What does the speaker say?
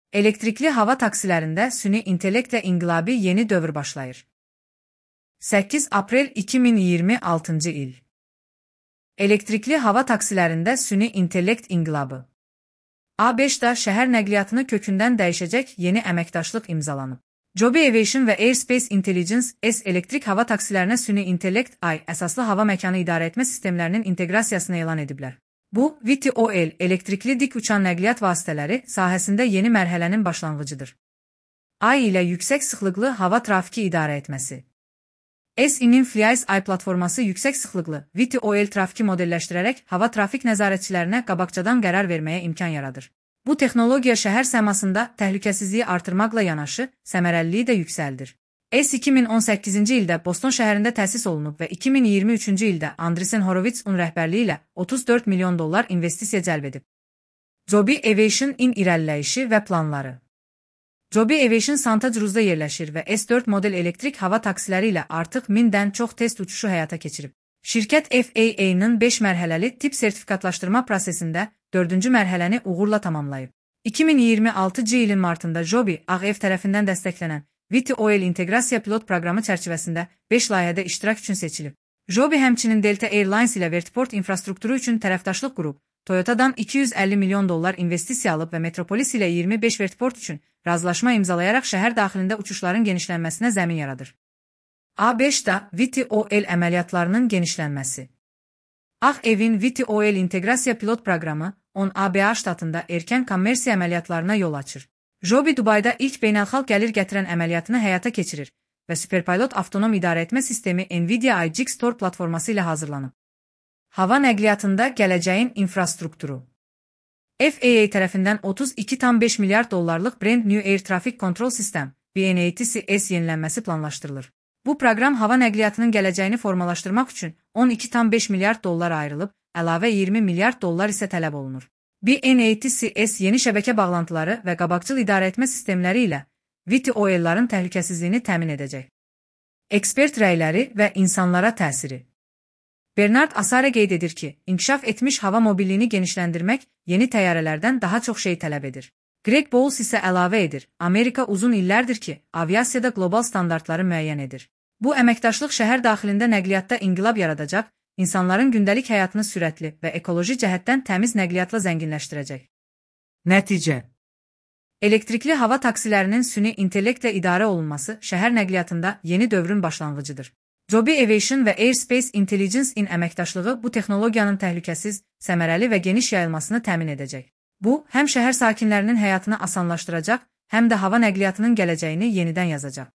Elektrikli hava taksilərində süni intellektlə inqilabi yeni dövr başlayır. 8 aprel 2026-cı il. Elektrikli hava taksilərində süni intellekt inqilabı. A5-da şəhər nəqliyyatını kökündən dəyişəcək yeni əməkdaşlıq imzalanıb. Joby Aviation və Airspace Intelligence S elektrik hava taksilərinə süni intellekt AI əsaslı hava məkanı idarə etmə sistemlərinin inteqrasiyasını elan ediblər. Bu, VTOL elektrikli dik uçan nəqliyyat vasitələri sahəsində yeni mərhələnin başlanğıcıdır. AI ilə yüksək sıxlıqlı hava trafiki idarə etməsi. S-inin Flies AI platforması yüksək sıxlıqlı VTOL trafiki modelləşdirərək hava trafik nəzarətçilərinə qabaqcadan qərar verməyə imkan yaradır. Bu texnologiya şəhər səmasında təhlükəsizliyi artırmaqla yanaşı, səmərəliliyi də yüksəldir. S 2018-ci ildə Boston şəhərində təsis olunub və 2023-cü ildə Andreessen Horowitz-un rəhbərliyi ilə $34 milyon investisiya cəlb edib. Joby Aviation-in irəliləyişi və planları. Joby Aviation Santa Cruzda yerləşir və S4 model elektrik hava taksiləri ilə artıq 1000-dən çox test uçuşu həyata keçirib. Şirkət FAA-nın 5 mərhələli tip sertifikatlaşdırma prosesində 4-cü mərhələni uğurla tamamlayıb. 2026-cı ilin martında Joby AEV tərəfindən dəstəklənən VTOL inteqrasiya pilot proqramı çərçivəsində 5 layihədə iştirak üçün seçilib. Joby həmçinin Delta Airlines ilə vertiport infrastrukturu üçün tərəfdaşlıq qurub, Toyota'dan $250 milyon investisiya alıb və Metropolis ilə 25 vertiport üçün razılaşma imzalayaraq şəhər daxilində uçuşların genişlənməsinə zəmin yaradır. A5-da VTOL əməliyyatlarının genişlənməsi. AEV-in VTOL inteqrasiya pilot proqramı 10 ABA ştatında erkən kommersiya əməliyyatlarına yol açır. Joby Dubayda ilk beynəlxalq gəlir gətirən əməliyyatını həyata keçirir və Superpilot avtonom idarə etmə sistemi NVIDIA IGX Tor platforması ilə hazırlanıb. Hava nəqliyyatında gələcəyin infrastrukturu. FAA tərəfindən $32,5 milyard Brand New Air Traffic Control System BNATCS yenilənməsi planlaşdırılır. Bu proqram hava nəqliyyatının gələcəyini formalaşdırmaq üçün $12,5 milyard ayrılıb, əlavə $20 milyard isə tələb olunur. BNATCS yeni şəbəkə bağlantıları və qabaqcıl idarə etmə sistemləri ilə VTOL-ların təhlükəsizliyini təmin edəcək. Ekspert rəyləri və insanlara təsiri. Bernard Asare qeyd edir ki, inkişaf etmiş hava mobilliyini genişləndirmək yeni təyyarələrdən daha çox şey tələb edir. Greg Bowles isə əlavə edir, Amerika uzun illərdir ki, aviasiyada qlobal standartları müəyyən edir. Bu əməkdaşlıq şəhər daxilində nəqliyyatda inqilab yaradacaq, insanların gündəlik həyatını sürətli və ekoloji cəhətdən təmiz nəqliyyatla zənginləşdirəcək. Nəticə. Elektrikli hava taksilərinin süni intellektlə idarə olunması şəhər nəqliyyatında yeni dövrün başlanğıcıdır. Joby Aviation və Airspace Intelligence-in əməkdaşlığı bu texnologiyanın təhlükəsiz, səmərəli və geniş yayılmasını təmin edəcək. Bu, həm şəhər sakinlərinin həyatını asanlaşdıracaq, həm də hava nəqliyyatının gələcəyini yenidən yazacaq.